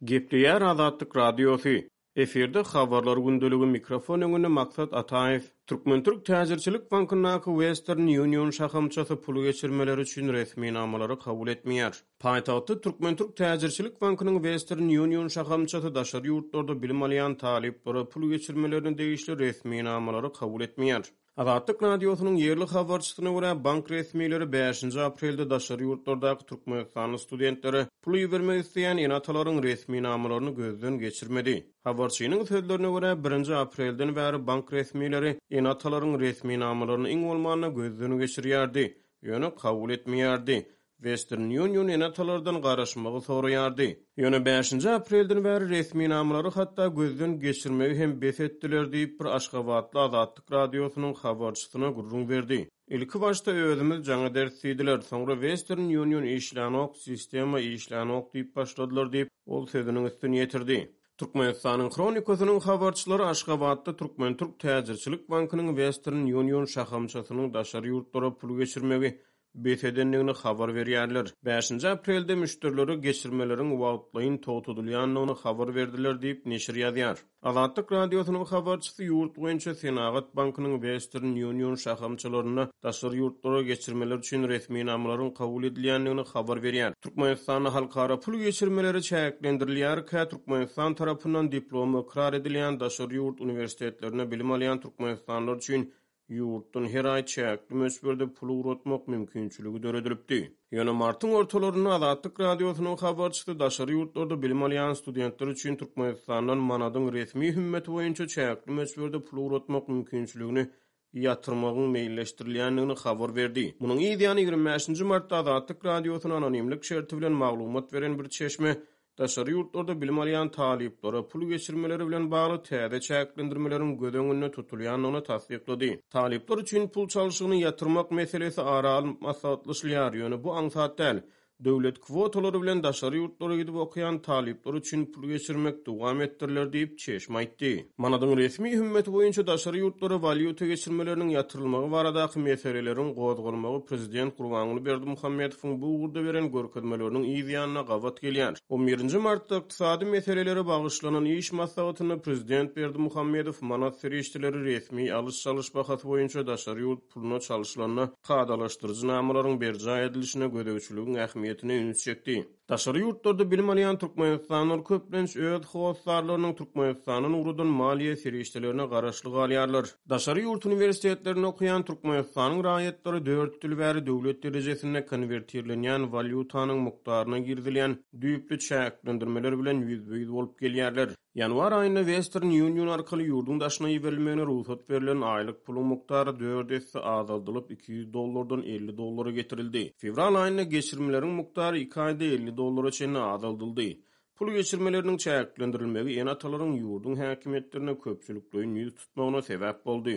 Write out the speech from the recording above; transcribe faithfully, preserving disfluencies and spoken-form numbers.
Gepleýär Azatlyk Radiosy. Efirde habarlar gündeligi mikrofon öňünde Maksat Ataýew. Türkmen-türk täjirçilik bankyndaky Western Union şahamçasy pul geçirmeleri üçin resminamalary kabul etmeýär. Paýtagtda Türkmen-türk täjirçilik bankynyň Western Union şahamçasy daşary ýurtlarda bilim alýan talyplara pul geçirmelerine degişli resminamalary kabul etmeýär. Azatlyk Radiosynyň ýerli habarçysyna görä, bank resmileri bäşinji aprelde daşary ýurtlardaky türkmenistanly studentlere pul ibermek isleýän ene-atalaryň resminamalaryny gözden geçirmedi. Habarçynyň sözlerine görä, birinji aprelden bäri bank resmileri ene-atalaryň resminamalaryny iň bolmanda gözden geçirýärdi, ýöne kabul etmeýärdi. Western Union ene-atalardan garaşmagy soraýardy. Ýöne bäşinji aprelden bäri resminamalary hatda gözden geçirmegi hem bes etdiler diýip, bir aşgabatly Azatlyk Radiosynyň habarçysyna gürrüň berdi. Ilki başda özümiz jaň ederis diýdiler, soňra Western Union işlänok, sistema işlänok diýip başladylar diýip, ol sözüniň üstüni ýetirdi. Türkmenistanyň Hronikasynyň habarçylary Aşgabatda Türkmen-Türk täjirçilik bankynyň Western Union şahamçasynyň daşary ýurtlara pul geçirmegi bes edendigini habar berýärler. Bäşinji aprelde müşderilere geçirmeleriň wagtlaýyn togtadylýandygyny habar berdiler diýip, neşir ýazýar. Azatlyk Radiosynyň habarçysy ýurt boýunça Senagat bankynyň Western Union şahamçalarynda daşary ýurtlara geçirmeler üçin resminamalaryň kabul edilýändigini habar berýär. Türkmenistanda halkara pul geçirmeleri çäklendirilýärkä, Türkmenistan tarapyndan diplomy ykrar edilýän daşary ýurt uniwersitetlerinde bilim alýan türkmenistanlylar üçin ýurtdan her aý çäkli möçberde pul ugratmak mümkinçiligi döredilipdi. Ýöne martyň ortalarynda Azatlyk Radiosynyň habarçysy daşary ýurtlarda bilim alýan studentler üçin Türkmenistandan manadyň resmi hümmeti boýunça çäkli möçberde pul ugratmak mümkinçiligini ýatyrmagyň meýilleşdirilýändigini habar berdi. Munuň yz ýany ýigrimi bäşinji martda Azatlyk Radiosyna anonimlik şerti bilen maglumat beren bir çeşme daşary ýurtlarda bilim alýan talyplara pul geçirmeleri bilen bagly täze çäklendirmeleriň göz öňünde tutulýandygyny tassyklady. Talyplar üçin pul çalşygyny ýatyrmak meselesi ara alnyp maslahatlaşylýar, ýöne bu aňsat däl. Döwlet kwotalary bilen daşary ýurtlara gidip okaýan talyplar üçin pul geçirmek dowam etdiriler diýip, çeşme aýtdy. Manadyň resmi hümmeti boýunça daşary ýurtlara walýuta geçirmeleriniň ýatyrylmagy baradaky meseleleriň gozgalmagy prezident Gurbanguly Berdimuhamedowyň bu ugurda beren görkezmeleriniň yz ýanyna gabat gelýär. On birinji martda ykdysady meselelere bagyşlanan iş maslahatynda prezident Berdimuhamedow manat serişdeleri resmi alyş-çalyş bahasy boýunça daşary ýurt puluna çalşylanda kadalaşdyryjy namalaryň berjaý edilişine gözegçiligiň ähmiýetine üns çekdi. Daşary ýurtlarda bilim alýan türkmenistanlylar köplenç öz hossarlarynyň Türkmenistandan ugradan maliýe serişdelerine garaşly galýarlar. Daşary ýurt uniwersitetlerinde okaýan Türkmenistanyň raýatlary dört ýyl bäri döwlet derejesinde konwertirlenýän walýutanyň mukdaryna girizilýän düýpli çäklendirmeler bilen ýüzbe-ýüz bolup gelýärler. Ýanwar aýynda Western Union arkaly ýurduň daşyna iberilmegine rugsat berlen aýlyk puluň mukdary dört esse azaldylyp iki ýüz dollardan elli dollara getirildi. Fewral aýynda geçirmeleriň mukdary iki aýda elli dollara çenli azaldyldy. Pul geçirmeleriniň çäklendirilmegi ene-atalaryň ýurduň häkimiýetlerine köpçülikleýin ýüz tutmagyna sebäp boldy.